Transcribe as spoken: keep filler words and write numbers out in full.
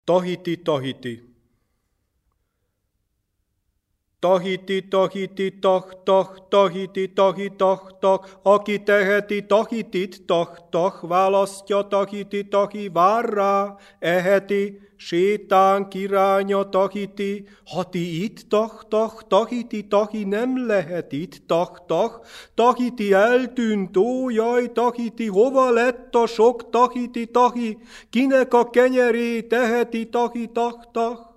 Tahiti, Tahiti. Tahiti, Tahiti, tah, tah, Tahiti, tahi, tah, tah, aki teheti Tahitit, tah, tah, választja Tahiti, tahi, vár rá, eheti, sétán kiránya Tahiti, ha ti itt, tah, tah, Tahiti, tahi, nem lehet itt, tah, tah, Tahiti eltűnt, ó, jaj, Tahiti, hova lett a sok Tahiti, tahi, kinek a kenyerét teheti, tahi, tah, tah.